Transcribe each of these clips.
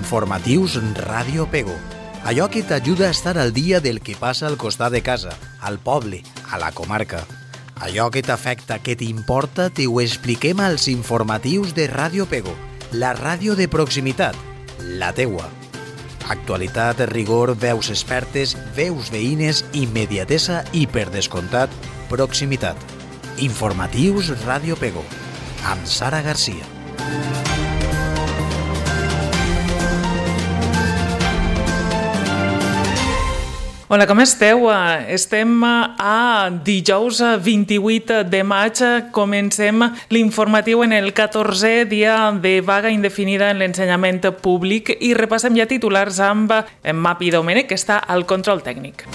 Informatius Ràdio Pego. Allò que t'ajuda a estar al dia del que passa al costat de casa, al poble, a la comarca. Allò que t'afecta, que t'importa, t'ho expliquem als informatius de Ràdio Pego, la ràdio de proximitat, la teua. Actualitat, rigor, veus expertes, veus veïnes, immediatesa i, per descomptat, proximitat. Informatius Ràdio Pego, amb Sara Garcia. Hola, com esteu? Estem a dijous 28 de maig. Comencem l'informatiu en el 14è dia de vaga indefinida en l'ensenyament públic i repassem ja titulars amb Mapi Domènech, que està al control tècnic.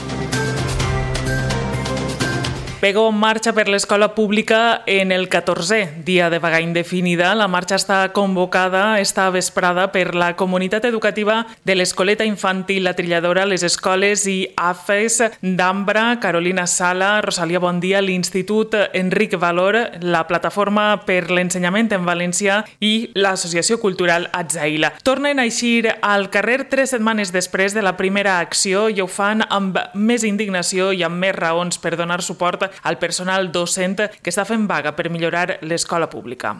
Pego marxa per l'escola pública en el 14è dia de vaga indefinida. La marxa està convocada esta vesprada per la comunitat educativa de l'Escoleta Infantil La Trilladora, les escoles i AFES d'Ambra, Carolina Sala, Rosalia Bondia, l'Institut Enric Valor, la Plataforma per l'Ensenyament en Valencià i l'Associació Cultural Atzaïla. Tornen a eixir al carrer 3 setmanes després de la primera acció i ho fan amb més indignació i amb més raons per donar suport al personal docent que està fent vaga per millorar l'escola pública.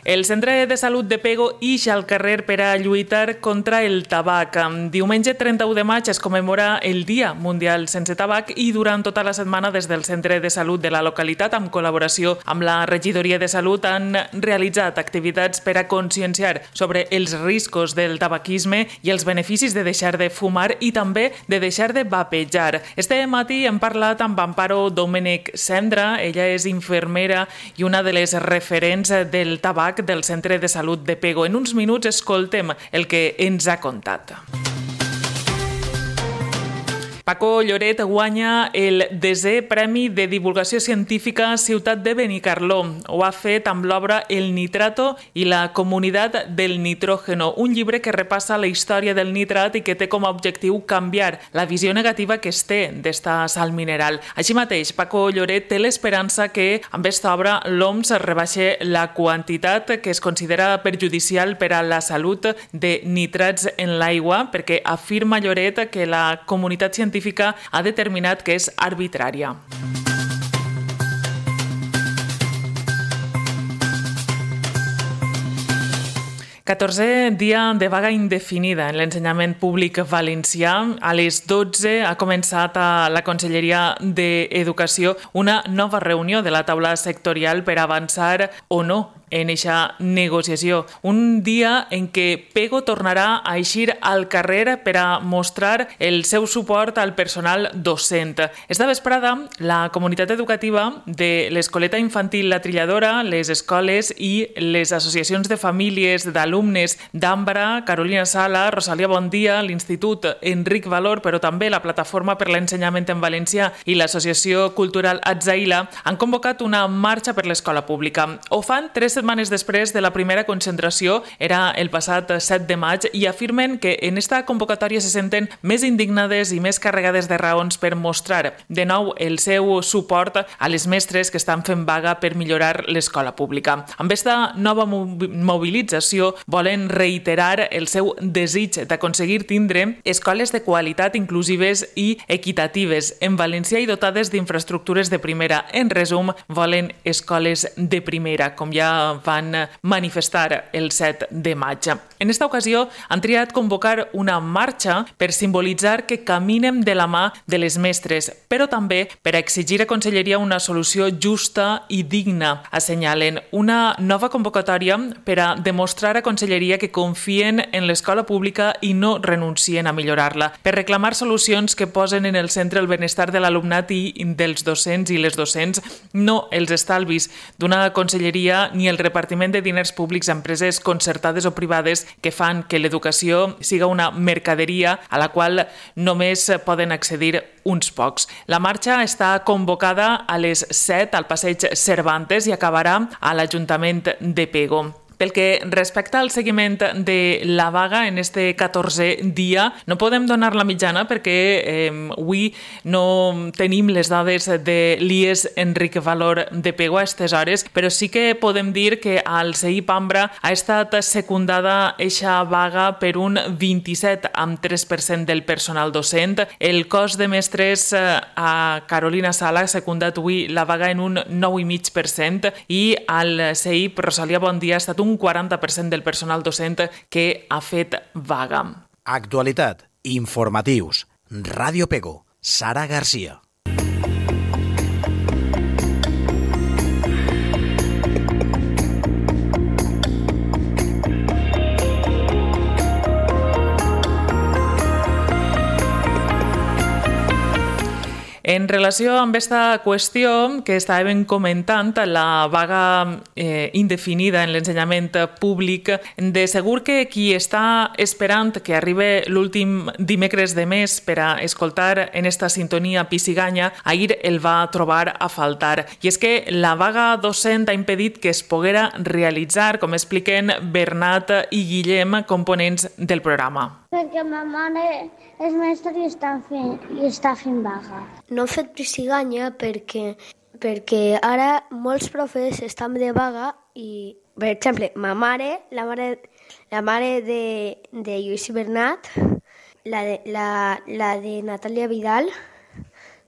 El Centre de Salut de Pego ix al carrer per a lluitar contra el tabac. Diumenge 31 de maig es commemora el Dia Mundial Sense Tabac i durant tota la setmana des del Centre de Salut de la localitat, amb col·laboració amb la Regidoria de Salut, han realitzat activitats per a conscienciar sobre els riscos del tabaquisme i els beneficis de deixar de fumar i també de deixar de vapejar. Este matí hem parlat amb Amparo Domènech Cendra. Ella és infermera i una de les referents del tabac del Centre de Salut de Pego. En uns minuts escoltem el que ens ha contat. Paco Lloret guanya el 10è Premi de Divulgació Científica Ciutat de Benicarló. Ho ha fet amb l'obra El nitrato i la comunitat del nitrógeno, un llibre que repassa la història del nitrat i que té com a objectiu canviar la visió negativa que es té d'esta sal mineral. Així mateix, Paco Lloret té l'esperança que amb aquesta obra l'OMS rebaixa la quantitat que es considera perjudicial per a la salut de nitrats en l'aigua, perquè afirma Lloret que la comunitat científica ha determinat que és arbitrària. Catorzè dia de vaga indefinida en l'ensenyament públic valencià. A les 12 ha començat a la Conselleria d'Educació una nova reunió de la taula sectorial per avançar o no en aquesta negociació. Un dia en què Pego tornarà a eixir al carrer per a mostrar el seu suport al personal docent. Esta vesprada, la comunitat educativa de l'Escoleta Infantil La Trilladora, les escoles i les associacions de famílies d'alumnes d'Ambra, Carolina Sala, Rosalia Bondia, l'Institut Enric Valor, però també la Plataforma per l'Ensenyament en Valencià i l'Associació Cultural Atzaïla han convocat una marxa per l'escola pública. Ho fan 3 setmanes després de la primera concentració, era el passat 7 de maig, i afirmen que en esta convocatòria se senten més indignades i més carregades de raons per mostrar de nou el seu suport a les mestres que estan fent vaga per millorar l'escola pública. Amb esta nova mobilització volen reiterar el seu desig d'aconseguir tindre escoles de qualitat inclusives i equitatives en valencià i dotades d'infraestructures de primera. En resum, volen escoles de primera, com ja van manifestar el 7 de maig. En esta ocasió han triat convocar una marxa per simbolitzar que caminem de la mà de les mestres, però també per exigir a Conselleria una solució justa i digna. Assenyalen una nova convocatòria per a demostrar a Conselleria que confien en l'escola pública i no renuncien a millorar-la, per reclamar solucions que posen en el centre el benestar de l'alumnat i dels docents i les docents, no els estalvis d'una Conselleria ni el repartiment de diners públics a empreses concertades o privades que fan que l'educació siga una mercaderia a la qual només poden accedir uns pocs. La marxa està convocada a les 7 al passeig Cervantes i acabarà a l'Ajuntament de Pego. Pel que respecta al seguiment de la vaga en este 14è dia, no podem donar la mitjana perquè avui no tenim les dades de l'IES Enric Valor de Pego a aquestes hores, però sí que podem dir que al CEI Pambra ha estat secundada eixa vaga per un 27,3% del personal docent. El cos de mestres a Carolina Sala ha secundat avui la vaga en un 9,5% i al CEI Rosalia Bondia ha estat un 40% del personal docent que ha fet vaga. Actualitat, informatius, Ràdio Pego, Sara Garcia. En relació amb aquesta qüestió que estàvem comentant, la vaga indefinida en l'ensenyament públic, de segur que qui està esperant que arribi l'últim dimecres de mes per a escoltar en esta sintonia Pissiganya, ahir el va trobar a faltar. I és que la vaga docent ha impedit que es poguera realitzar, com expliquen Bernat i Guillem, components del programa. Perquè ma mare és mestra i està fent vaga. No hem fet Pissiganya perquè ara molts profes estan de vaga i, per exemple, la mare de Lluís i Bernat, la de Natàlia Vidal,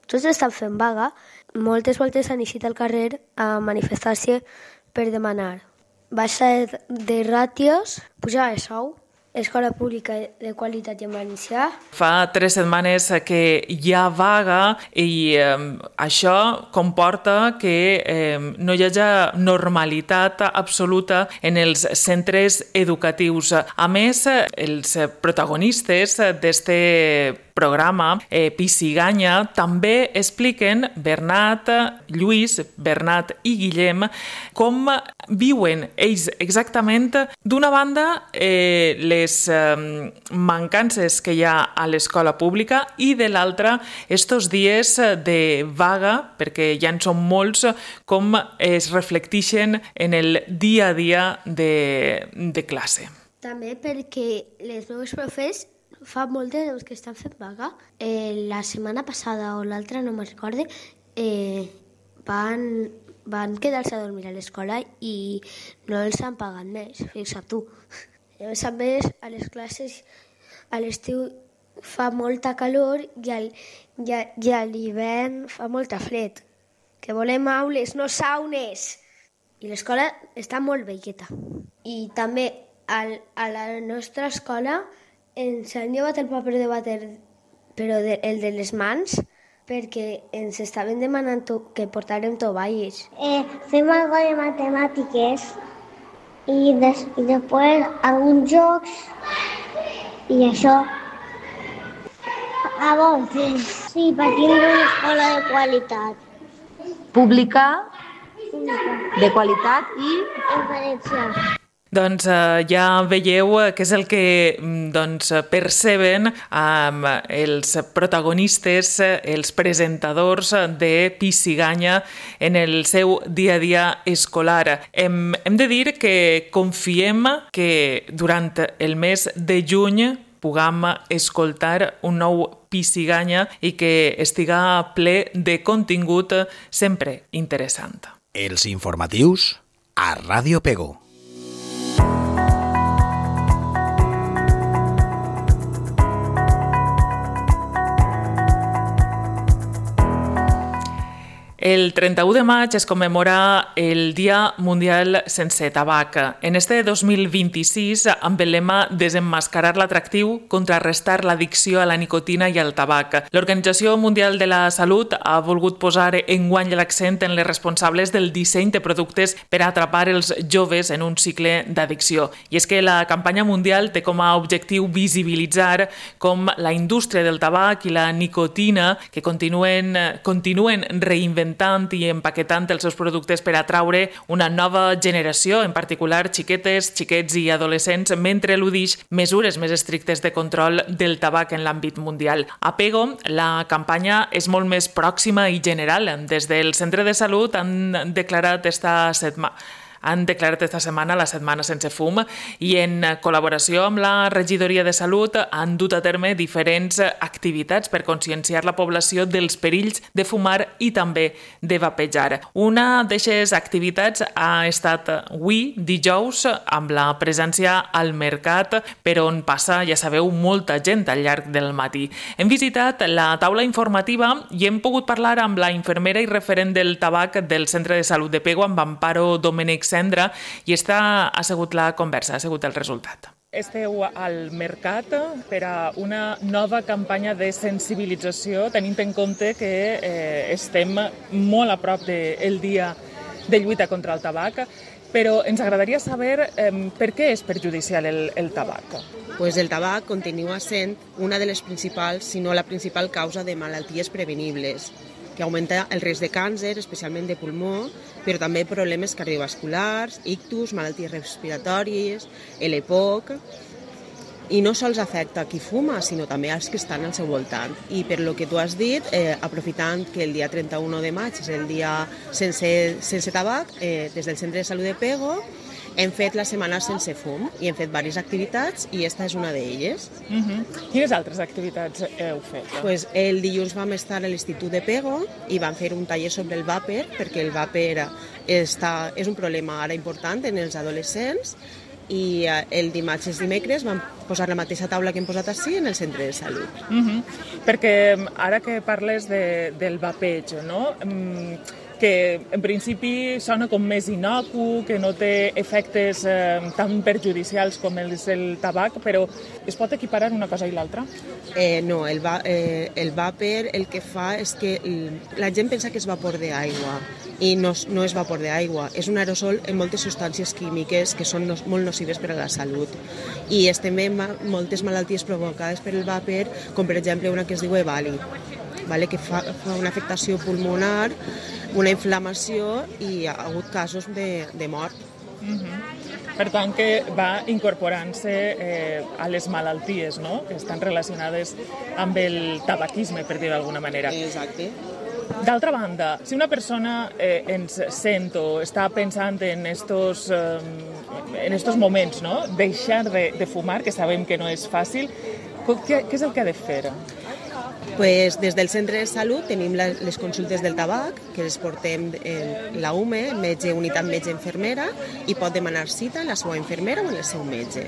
tots estan fent vaga. Moltes voltes han eixit al carrer a manifestar-se per demanar baixa de ràtios, pujar de sou, escola pública de qualitat i en valencià. Fa 3 setmanes que hi ha vaga i això comporta que no hi hagi normalitat absoluta en els centres educatius. A més, els protagonistes d'este programa, Pissiganya, també expliquen Bernat, Lluís, Bernat i Guillem com viuen ells exactament, d'una banda, les mancances que hi ha a l'escola pública i de l'altra, estos dies de vaga, perquè ja en són molts, com es reflecteixen en el dia a dia de classe. També perquè les meves profes fa molt de temps que estan fent vaga. La setmana passada o l'altra, no me'n recorde, van quedar-se a dormir a l'escola i no els han pagat més, fixa't tu. A més, a les classes a l'estiu fa molta calor i a l'hivern fa molta fred. Que volem aules, no saunes. I l'escola està molt velleta. I també a la nostra escola ens han llevat el paper de vàter, però el de les mans, perquè ens estaven demanant que portàrem tovalles. Fem algo de matemàtiques i després alguns jocs i això. A bon temps. Sí, per tindre una escola de qualitat. Pública, de qualitat i En valencià. Doncs ja veieu què és el que perceben els protagonistes, els presentadors de Pissiganya en el seu dia a dia escolar. Hem de dir que confiem que durant el mes de juny puguem escoltar un nou Pissiganya i que estiga ple de contingut sempre interessant. Els informatius a Ràdio Pego. El 31 de maig es commemora el Dia Mundial Sense Tabac. En este 2026, amb el lema Desemmascarar l'atractiu, contrarrestar l'addicció a la nicotina i al tabac. L'Organització Mundial de la Salut ha volgut posar enguany l'accent en les responsables del disseny de productes per a atrapar els joves en un cicle d'addicció. I és que la campanya mundial té com a objectiu visibilitzar com la indústria del tabac i la nicotina, que continuen reinventant i empaquetant els seus productes per atraure una nova generació, en particular xiquetes, xiquets i adolescents, mentre eludix mesures més estrictes de control del tabac en l'àmbit mundial. A Pego, la campanya és molt més pròxima i general. Des del Centre de Salut han declarat han declarat esta setmana la Setmana Sense Fum i en col·laboració amb la Regidoria de Salut han dut a terme diferents activitats per conscienciar la població dels perills de fumar i també de vapejar. Una d'aquestes activitats ha estat avui, dijous, amb la presència al mercat, per on passa, ja sabeu, molta gent al llarg del matí. Hem visitat la taula informativa i hem pogut parlar amb la infermera i referent del tabac del Centre de Salut de Pego, amb Amparo Domènech Cendra, i esta ha sigut la conversa, ha sigut el resultat. Esteu al mercat per a una nova campanya de sensibilització, tenint en compte que estem molt a prop del dia de lluita contra el tabac, però ens agradaria saber per què és perjudicial el tabac. Pues el tabac continua sent una de les principals, si no la principal causa de malalties prevenibles, que augmenta el risc de càncer, especialment de pulmó, però també problemes cardiovasculars, ictus, malalties respiratòries, l'EPOC, i no sols afecta qui fuma, sinó també als que estan al seu voltant. I per lo que tu has dit, aprofitant que el dia 31 de maig és el dia sense tabac, des del Centre de Salut de Pego hem fet la Setmana Sense Fum i hem fet diverses activitats i esta és una d'elles. Quines altres activitats heu fet? Pues el dilluns vam estar a l'Institut de Pego i vam fer un taller sobre el vàper, perquè el vàper és un problema ara important en els adolescents, i el dimarts i els dimecres vam posar la mateixa taula que hem posat així en el Centre de Salut. Perquè ara que parles del vapeig, no? Que en principi sona com més innocu, que no té efectes tan perjudicials com és el tabac, però es pot equiparar una cosa i l'altra? No, el vàper el que fa és que la gent pensa que és vapor d'aigua i no és vapor d'aigua, és un aerosol amb moltes substàncies químiques que són molt nocives per a la salut. I estem veient moltes malalties provocades per el vàper, com per exemple una que es diu EVALI, que fa una afectació pulmonar, una inflamació i ha hagut casos de mort. Per tant, que va incorporant-se a les malalties, no?, que estan relacionades amb el tabaquisme, per dir-ho d'alguna manera. Exacte. D'altra banda, si una persona ens sent o està pensant en estos moments, no?, deixar de fumar, que sabem que no és fàcil, què és el que ha de fer? Pues des del Centre de Salut tenim les consultes del tabac, que les portem la UME, unitat metge-infermera, i pot demanar cita a la seva infermera o al seu metge.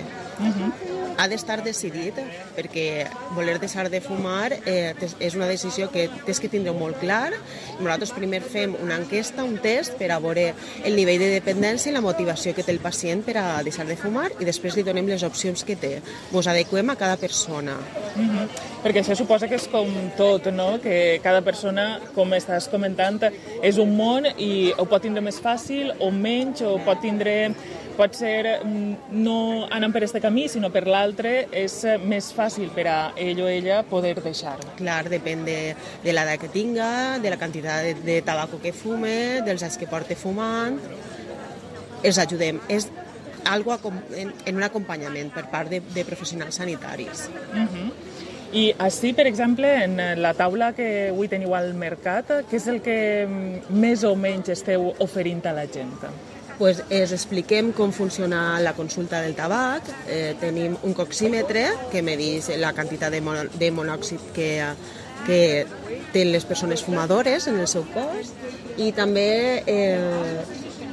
Ha d'estar decidit, perquè voler deixar de fumar és una decisió que tens que tindre molt clar. Nosaltres primer fem una enquesta, un test, per a veure el nivell de dependència i la motivació que té el pacient per a deixar de fumar, i després li donem les opcions que té. Ens adequem a cada persona. Perquè això suposa que és com tot, no?, que cada persona, com estàs comentant, és un món i ho pot tindre més fàcil o menys, o pot ser no anant per aquest camí, sinó per l'altre, és més fàcil per a ell o ella poder deixar-ho. Clar, depèn de l'edat que tinga, de la quantitat de tabaco que fume, dels anys que porta fumant. Els ajudem. És algo en un acompanyament per part de professionals sanitaris. I així, per exemple, en la taula que avui teniu al mercat, què és el que més o menys esteu oferint a la gent? Pues els expliquem com funciona la consulta del tabac. Tenim un coxímetre que medeix la quantitat de monòxid que tenen les persones fumadores en el seu cos, i també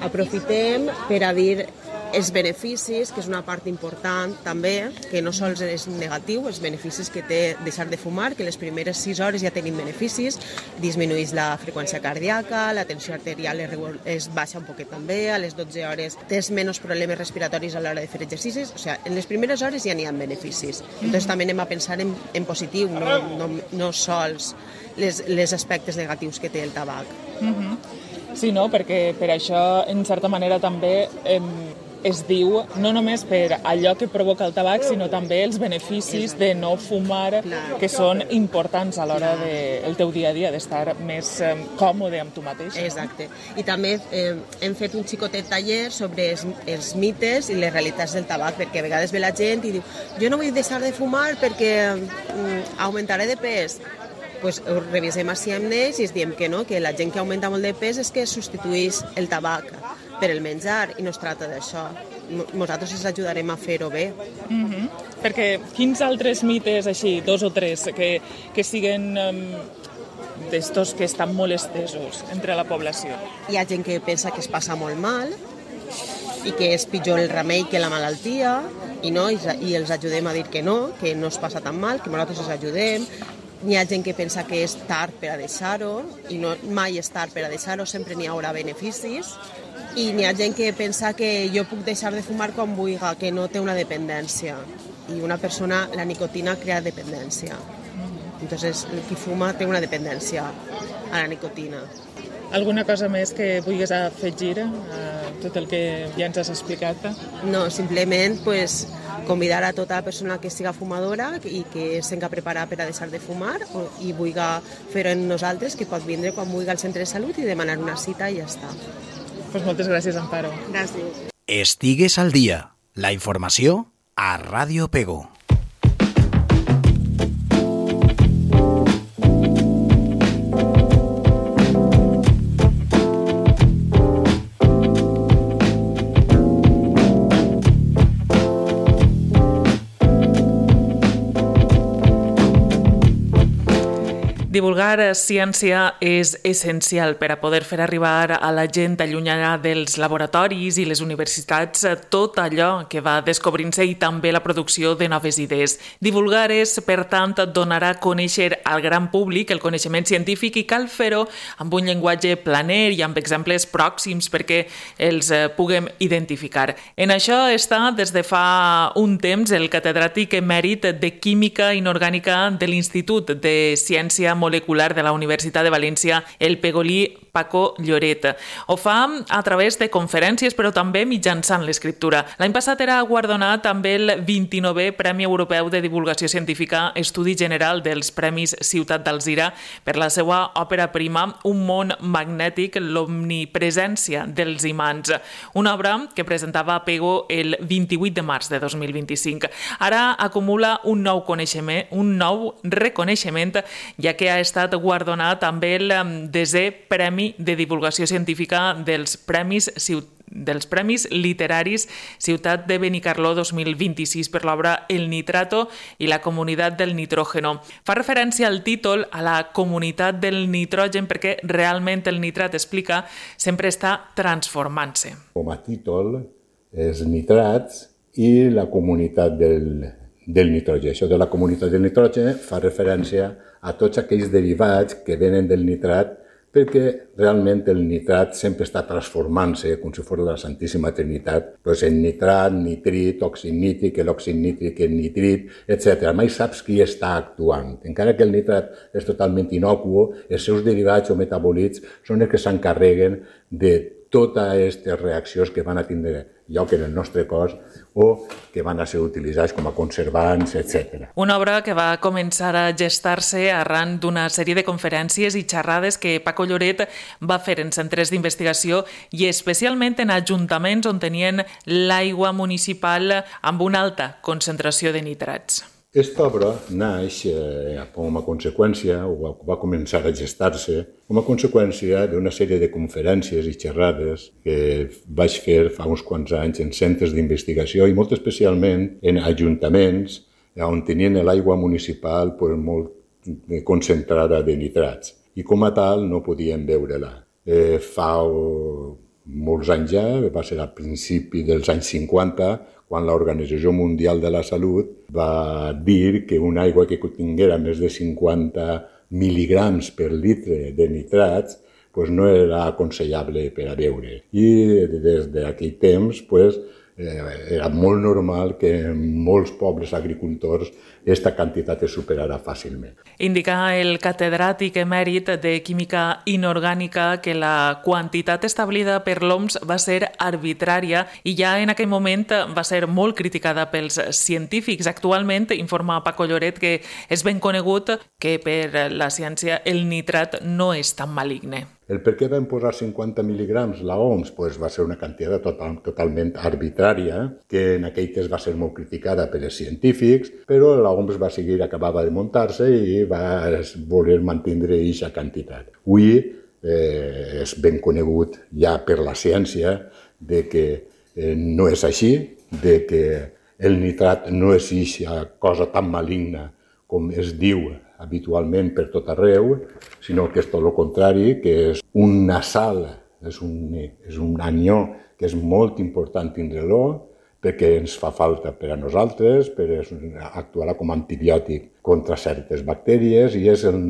aprofitem per a dir els beneficis, que és una part important també, que no sols és negatiu, els beneficis que té deixar de fumar, que les primeres 6 hores ja tenim beneficis, disminueix la freqüència cardíaca, la tensió arterial es baixa un poquet també, a les 12 hores tens menys problemes respiratoris a l'hora de fer exercicis, o sigui, en les primeres hores ja n'hi ha beneficis. Entonces també anem a pensar en positiu, no sols les aspectes negatius que té el tabac. Sí, no, perquè per això, en certa manera, també es diu no només per allò que provoca el tabac, sinó també els beneficis de no fumar, que són importants a l'hora del teu dia a dia, d'estar més còmode amb tu mateix. Exacte. I també hem fet un xicotet taller sobre els mites i les realitats del tabac, perquè a vegades ve la gent i diu jo no vull deixar de fumar perquè augmentaré de pes. Pues ho revisem així amb ells i es diem que no, que la gent que augmenta molt de pes és que substitueix el tabac per el menjar, i no es tracta d'això. Nosaltres els ajudarem a fer-ho bé. Perquè quins altres mites, així, 2 o 3, que siguen d'estos que estan molt estesos entre la població? Hi ha gent que pensa que es passa molt mal i que és pitjor el remei que la malaltia, i els ajudem a dir que no es passa tan mal, que nosaltres els ajudem. Hi ha gent que pensa que és tard per a deixar-ho, i no, mai és tard per a deixar-ho, sempre n'hi haurà beneficis. I n'hi ha gent que pensa que jo puc deixar de fumar quan vulgui, que no té una dependència. I una persona, la nicotina crea dependència. Entonces, el qui fuma té una dependència a la nicotina. Alguna cosa més que vulguis afegir a tot el que ja ens has explicat? No, simplement convidar a tota la persona que siga fumadora i que s'enga preparar per a deixar de fumar i vulgui fer-ho amb nosaltres, que pot vindre quan vulgui al centre de salut i demanar una cita i ja està. Pues moltes gràcies, Amparo. Gràcies. Estigues al dia. La informació a Ràdio Pego. Divulgar ciència és essencial per a poder fer arribar a la gent allunyada dels laboratoris i les universitats tot allò que va descobrint-se i també la producció de noves idees. Divulgar és, per tant, donar a conèixer al gran públic el coneixement científic i cal fer-ho amb un llenguatge planer i amb exemples pròxims perquè els puguem identificar. En això està des de fa un temps el catedràtic emèrit de Química Inorgànica de l'Institut de Ciència Molecular de la Universitat de València, el pegolí Paco Lloret. Ho fa a través de conferències, però també mitjançant l'escriptura. L'any passat era guardonat amb el 29è Premi Europeu de Divulgació Científica Estudi General dels Premis Ciutat d'Alzira per la seva òpera prima Un món magnètic, l'omnipresència dels imants, una obra que presentava a Pego el 28 de març de 2025. Ara acumula un nou reconeixement, ja que ha estat guardonat amb el 10è Premi de Divulgació Científica dels Premis Literaris Ciutat de Benicarló 2026 per l'obra El nitrato i la comunitat del nitrógeno. Fa referència al títol a la comunitat del nitrogen perquè realment el nitrat, explica, sempre està transformant-se. Com a títol és nitrats i la comunitat del nitrogen. Això de la comunitat del nitrogen fa referència a tots aquells derivats que venen del nitrat, perquè realment el nitrat sempre està transformant-se com si fos la Santíssima Trinitat, doncs en nitrat, nitrit, òxid nítric, l'òxid nítric, el nitrit, etc. Mai saps qui està actuant. Encara que el nitrat és totalment inocuo, els seus derivats o metabòlits són els que s'encarreguen de totes aquestes reaccions que van a tindre lloc en el nostre cos o que van a ser utilitzats com a conservants, etc. Una obra que va començar a gestar-se arran d'una sèrie de conferències i xerrades que Paco Lloret va fer en centres d'investigació i especialment en ajuntaments on tenien l'aigua municipal amb una alta concentració de nitrats. Aquesta obra naix com a conseqüència, o va començar a gestar-se, com a conseqüència d'una sèrie de conferències i xerrades que vaig fer fa uns quants anys en centres d'investigació i molt especialment en ajuntaments on tenien l'aigua municipal molt concentrada de nitrats i com a tal no podien beure-la. Fa molts anys ja, va ser al principi dels anys 50, quan l'Organització Mundial de la Salut va dir que una aigua que tinguera més de 50 mil·ligrams per litre de nitrats no era aconsellable per a beure. I des d'aquell temps era molt normal que en molts pobles agricultors aquesta quantitat es superarà fàcilment. Indica el catedràtic emèrit de Química Inorgànica que la quantitat establida per l'OMS va ser arbitrària i ja en aquell moment va ser molt criticada pels científics. Actualment, informa Paco Lloret, que és ben conegut que per la ciència el nitrat no és tan maligne. El per què van posar 50 mil·ligrams la OMS? Va ser una quantitat totalment arbitrària, que en aquell temps va ser molt criticada per els científics, però la OMS va seguir, acabava de muntar-se i va voler mantindre aquesta quantitat. Avui és ben conegut ja per la ciència de que no és així, de que el nitrat no és aquesta cosa tan maligna com es diu habitualment per tot arreu, sinó que és tot el contrari, que és una sal, és un anió que és molt important tindre-lo, perquè ens fa falta per a nosaltres, per actuar com a antibiòtic contra certes bactèries i és el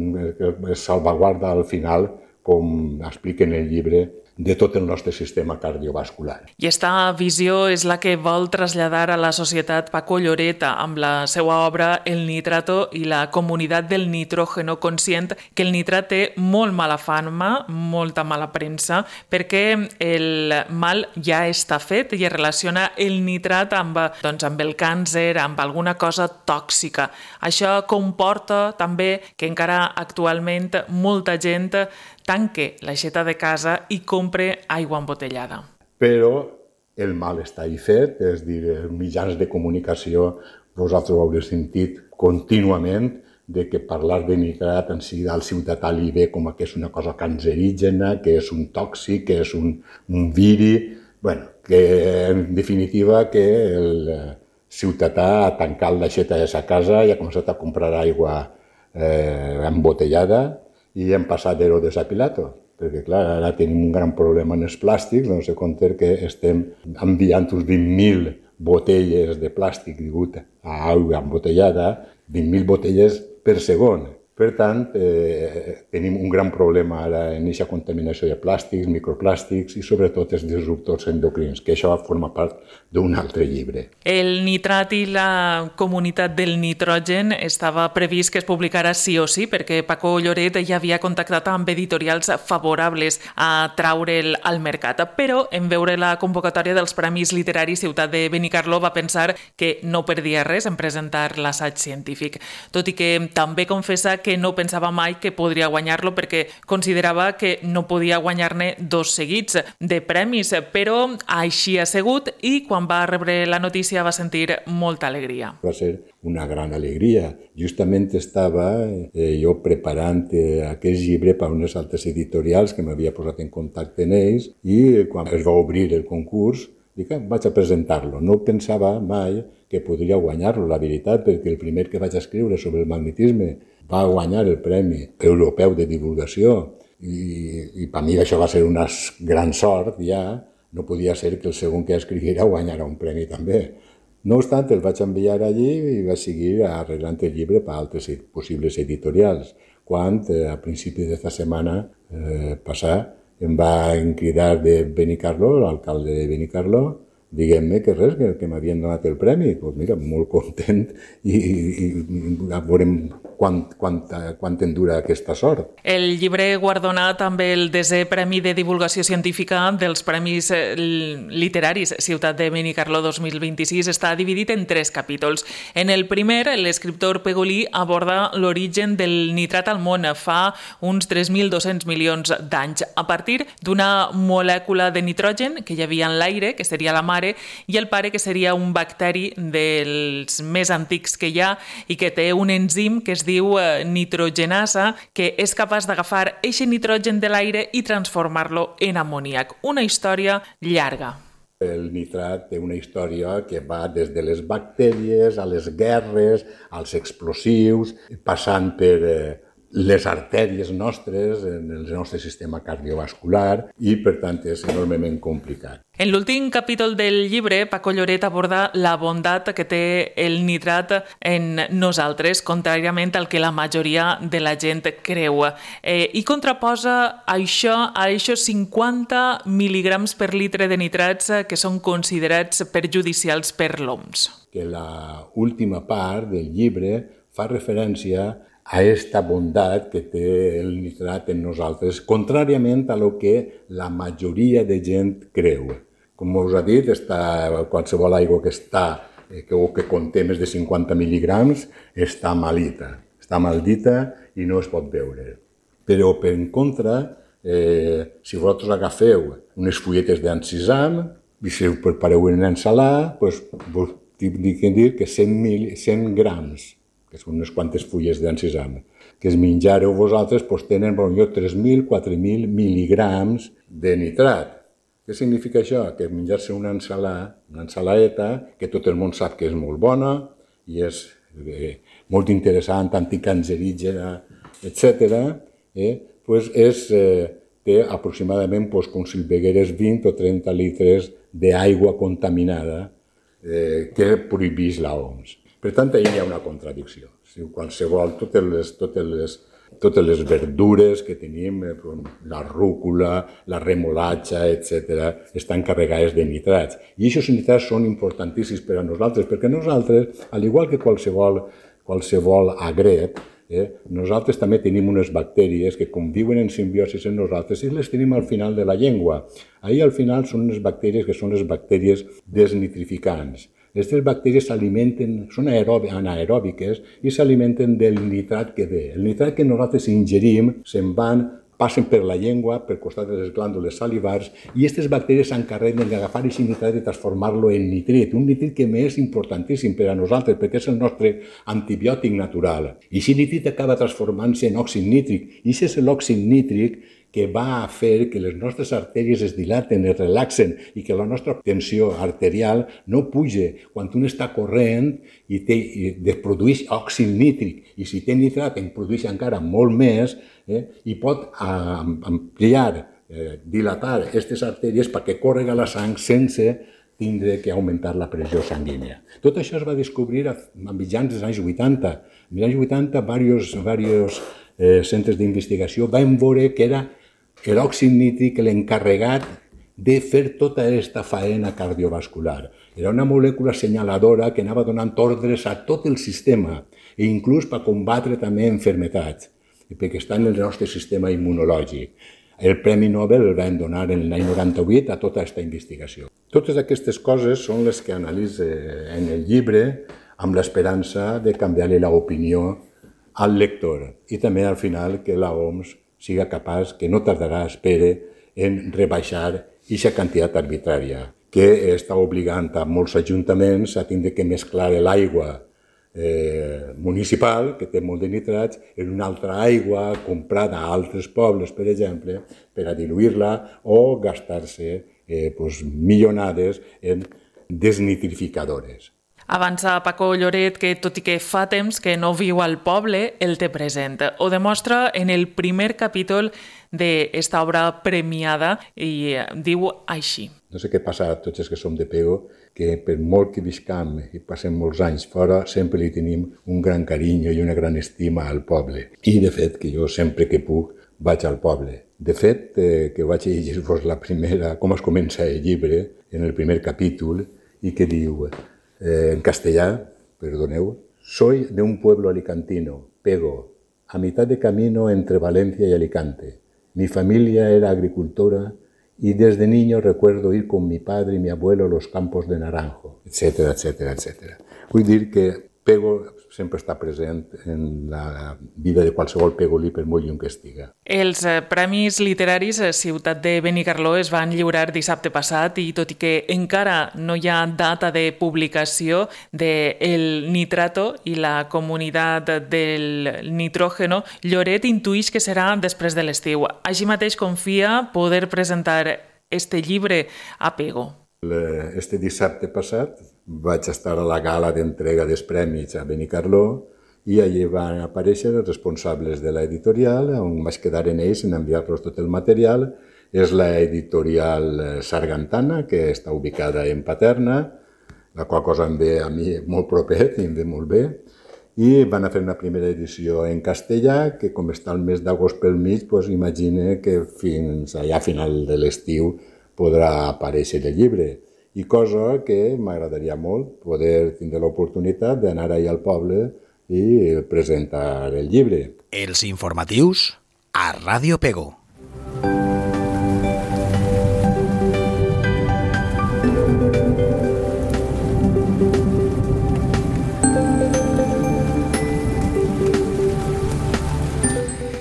salvaguarda al final, com explica en el llibre, de tot el nostre sistema cardiovascular. I aquesta visió és la que vol traslladar a la societat Paco Lloret amb la seva obra El nitrato i la comunitat del nitrógeno, conscient que el nitrat té molt mala fama, molta mala premsa, perquè el mal ja està fet i es relaciona el nitrat amb el càncer, amb alguna cosa tòxica. Això comporta també que encara actualment molta gent tanque l'aixeta de casa i compre aigua embotellada. Però el mal està ahí fet, és dir, els mitjans de comunicació, vosaltres ho haureu sentit contínuament, de que parlar de nitrat en si al ciutadà li ve com que és una cosa cancerígena, que és un tòxic, que és un viri. Bueno, que en definitiva que el ciutadà ha tancat l'aixeta de sa casa i ha començat a comprar aigua embotellada, i hem passat d'ero desapilato, perquè clar, ara tenim un gran problema en els plàstics, doncs se compta que estem enviant uns 20.000 botelles de plàstic degut a aigua embotellada, 20.000 botelles per segon. Per tant, tenim un gran problema ara en aquesta contaminació de plàstics, microplàstics i sobretot els disruptors endocrins, que això forma part d'un altre llibre. El nitrat i la comunitat del nitrogen estava previst que es publicara sí o sí, perquè Paco Lloret ja havia contactat amb editorials favorables a traure'l al mercat. Però en veure la convocatòria dels Premis Literaris Ciutat de Benicarló va pensar que no perdia res en presentar l'assaig científic, tot i que també confessa que no pensava mai que podria guanyar-lo perquè considerava que no podia guanyar-ne 2 seguits de premis, però així ha sigut i quan va rebre la notícia va sentir molta alegria. Va ser una gran alegria. Justament estava jo preparant aquest llibre per a unes altres editorials que m'havia posat en contacte amb ells i quan es va obrir el concurs dic, vaig a presentar-lo. No pensava mai que podria guanyar-lo, la veritat, perquè el primer que vaig escriure sobre el magnetisme va guanyar el Premi Europeu de Divulgació i per mi això va ser una gran sort ja, no podia ser que el segon que escriguera guanyara un premi també. No obstant, el vaig enviar allí i vaig seguir arreglant el llibre per altres possibles editorials, quan a principi d'esta setmana passada em va cridar de Benicarló, l'alcalde de Benicarló, diguem-me que res, que m'havien donat el premi. Doncs mira, molt content i veurem quant en dura aquesta sort. El llibre guardonat amb el 10è Premi de Divulgació Científica dels Premis Literaris Ciutat de Benicarló 2026 està dividit en 3 capítols. En el primer, l'escriptor Pegolí aborda l'origen del nitrat al món fa uns 3.200 milions d'anys, a partir d'una molècula de nitrogen que hi havia en l'aire, que seria la mare, i el pare, que seria un bacteri dels més antics que hi ha i que té un enzim que es diu nitrogenasa, que és capaç d'agafar eixe nitrogen de l'aire i transformar-lo en amoníac. Una història llarga. El nitrat té una història que va des de les bactèries a les guerres, als explosius, passant per les artèries nostres, en el nostre sistema cardiovascular i, per tant, és enormement complicat. En l'últim capítol del llibre, Paco Lloret aborda la bondat que té el nitrat en nosaltres, contràriament al que la majoria de la gent creu. I contraposa això a aquests 50 mil·lígrams per litre de nitrats que són considerats perjudicials per l'OMS. Que la última part del llibre fa referència a aquesta bondat que té el nitrat en nosaltres, contràriament a lo que la majoria de gent creu. Com us ha dit, qualsevol aigua que conté més de 50 mil·lígrams està maldita i no es pot beure. Però, per contra, si vosaltres agafeu unes fulletes d'encisam i si ho prepareu en ensalada, vos dic que 100 grams, que són unes quantes fulles d'encisam, que es menjareu vosaltres, tenen potser 3.000, 4.000 mil·lígrams de nitrat. Què significa això? Que menjar-se una ensalaeta, que tot el món sap que és molt bona i és molt interessant, anticancerígena, etc., té aproximadament com si begueres 20 o 30 litres d'aigua contaminada que prohibeix l'OMS. Per tant, ahir hi ha una contradicció. Qualsevol, totes les verdures que tenim, la rúcula, la remolatxa, etc., estan carregades de nitrats. I aquests nitrats són importantíssims per a nosaltres, perquè nosaltres, al igual que qualsevol agret, nosaltres també tenim unes bactèries que conviuen en simbiosi amb nosaltres i les tenim al final de la llengua. Ahir al final són unes bactèries que són les bactèries desnitrificants. Aquestes bactèries són anaeròbiques i s'alimenten del nitrat que ve. El nitrat que nosaltres ingerim passen per la llengua, per costat de les glàndules salivars, i aquestes bactèries s'encarreguen d'agafar aquest nitrat i transformar-lo en nitrit, un nitrit que és importantíssim per a nosaltres, perquè és el nostre antibiòtic natural. I aquest nitrit acaba transformant-se en òxid nítric, i aquest és l'òxid nítric que va a fer que les nostres artèries es dilaten, es relaxen i que la nostra tensió arterial no puja quan un està corrent i produeix òxid nítric. I si té nitrat en produeix encara molt més i pot ampliar, dilatar aquestes artèries perquè córrega la sang sense tindre que augmentar la pressió sanguínia. Tot això es va descobrir a mitjans dels anys 80. En els anys 80, diversos centres d'investigació van veure que era l'òxid nítric l'encarregat de fer tota aquesta faena cardiovascular. Era una molècula senyaladora que anava donant ordres a tot el sistema i inclús per combatre també malalties, perquè està en el nostre sistema immunològic. El Premi Nobel el van donar en l'any 98 a tota aquesta investigació. Totes aquestes coses són les que analitzo en el llibre amb l'esperança de canviar-li l'opinió al lector i també al final que l'OMS siga capaç, que no tardarà, espere, en rebaixar aquesta quantitat arbitrària, que està obligant a molts ajuntaments a tindre que mesclar l'aigua municipal, que té molt de nitrats, en una altra aigua comprada a altres pobles, per exemple, per a diluir-la o gastar-se milionades en desnitrificadores. Avança Paco Lloret que, tot i que fa temps que no viu al poble, el té present. Ho demostra en el primer capítol d'esta obra premiada i diu així. No sé què passa a tots els que som de Pego, que per molt que viscam i passem molts anys fora, sempre li tenim un gran carinyo i una gran estima al poble. I, de fet, que jo sempre que puc vaig al poble. De fet, que vaig a llegir-vos la primera, com es comença el llibre, en el primer capítol, i que diu... en castellà, perdoneu, soy de un pueblo alicantino, Pego, a mitad de camino entre Valencia y Alicante. Mi familia era agricultora y desde niño recuerdo ir con mi padre y mi abuelo a los campos de naranjo, etcètera, etcètera, etcètera. Vull dir que Pego sempre està present en la vida de qualsevol pegolí per molt lluny que estiga. Els Premis Literaris Ciutat de Benicarló es van lliurar dissabte passat i tot i que encara no hi ha data de publicació del nitrato i la comunitat del nitrógeno, Lloret intuïx que serà després de l'estiu. Així mateix confia poder presentar este llibre a Pego. Este dissabte passat vaig estar a la gala d'entrega dels premis a Benicarló i allí van aparèixer els responsables de l'editorial, on vaig quedar en ells en enviar-los tot el material. És l'editorial Sargantana, que està ubicada en Paterna, la qual cosa em ve a mi molt propet i em ve molt bé. I van a fer una primera edició en castellà, que com està el mes d'agost pel mig, imagine que fins allà a final de l'estiu podrà aparèixer el llibre. I cosa que m'agradaria molt poder tindre l'oportunitat d'anar allà al poble i presentar el llibre. Els informatius a Ràdio Pego.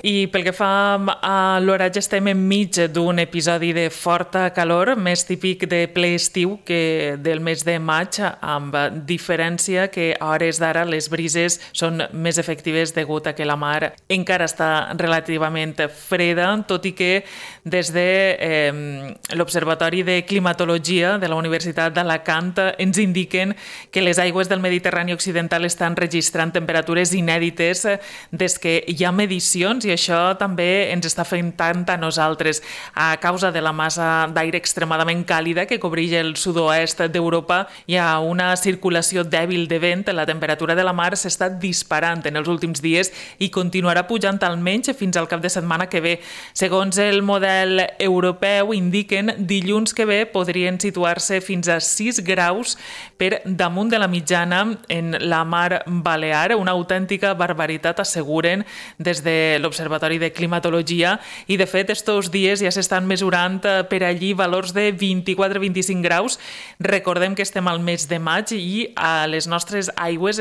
I I pel que fa a l'horatge, estem enmig d'un episodi de forta calor, més típic de ple estiu que del mes de maig, amb diferència que a hores d'ara les brises són més efectives degut a que la mar encara està relativament freda, tot i que des de l'Observatori de Climatologia de la Universitat d'Alacant ens indiquen que les aigües del Mediterrani occidental estan registrant temperatures inèdites des que hi ha medicions, i això també ens està afectant a nosaltres a causa de la massa d'aire extremadament càlida que cobreix el sud-oest d'Europa. Hi ha una circulació dèbil de vent, la temperatura de la mar s'està disparant en els últims dies i continuarà pujant almenys fins al cap de setmana que ve. Segons el model europeu, indiquen dilluns que ve podrien situar-se fins a 6 graus per damunt de la mitjana en la mar Balear, una autèntica barbaritat, asseguren des de l'Observatori de Climatologia, i de fet estos dies ja s'estan mesurant per allí valors de 24-25 graus. Recordem que estem al mes de maig i a les nostres aigües,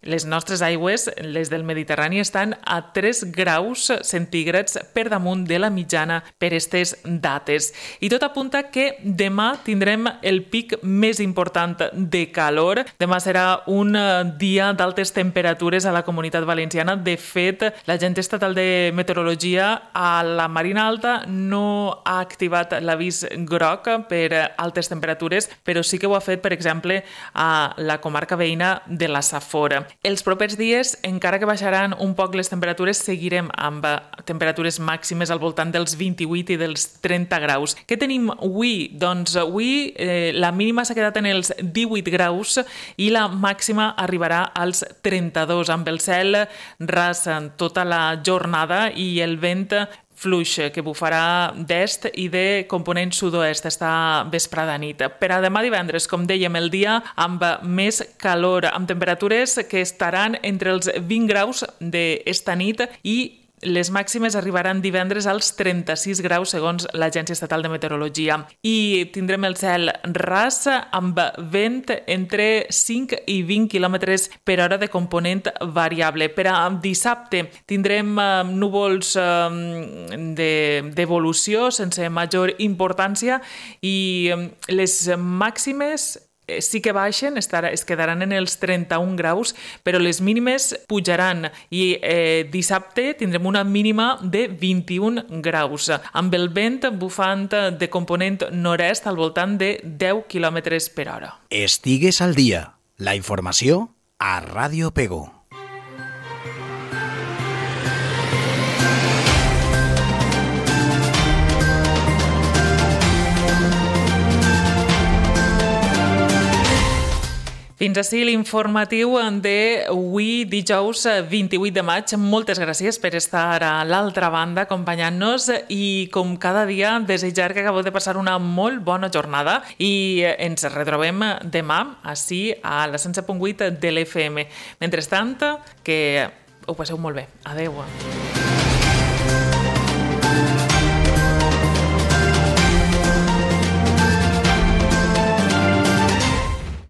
les del Mediterrani, estan a 3 graus centígrads per damunt de la mitjana per aquestes dates. I tot apunta que demà tindrem el pic més important de calor. Demà serà un dia d'altes temperatures a la Comunitat Valenciana. De fet, l'Agència Estatal de Meteorologia a la Marina Alta no ha activat l'avís groc per altes temperatures, però sí que ho ha fet, per exemple, a la comarca veïna de la Safor. Els propers dies, encara que baixaran un poc les temperatures, seguirem amb temperatures màximes al voltant dels 28 i dels 30 graus. Què tenim avui? Doncs avui la mínima s'ha quedat en els 18 graus i la màxima arribarà als 32, amb el cel ras tota la jornada i el vent fluix que bufarà d'est i de component sud-oest esta vesprada nit. Per a demà divendres, com dèiem, el dia amb més calor, amb temperatures que estaran entre els 20 graus d'esta nit i les màximes arribaran divendres als 36 graus segons l'Agència Estatal de Meteorologia. I tindrem el cel ras amb vent entre 5 i 20 km per hora de component variable. Per a dissabte tindrem núvols d'evolució sense major importància i les màximes sí que baixen, es quedaran en els 31 graus, però les mínimes pujaran i dissabte tindrem una mínima de 21 graus, amb el vent bufant de component nord-est al voltant de 10 km per hora. Estigues al dia. La informació a Ràdio Pego. Fins ací l'informatiu d'avui, dijous 28 de maig. Moltes gràcies per estar a l'altra banda acompanyant-nos i, com cada dia, desitjar que acabeu de passar una molt bona jornada i ens retrobem demà ací a la 107.8 de l'FM. Mentrestant, que ho passeu molt bé. Adéu.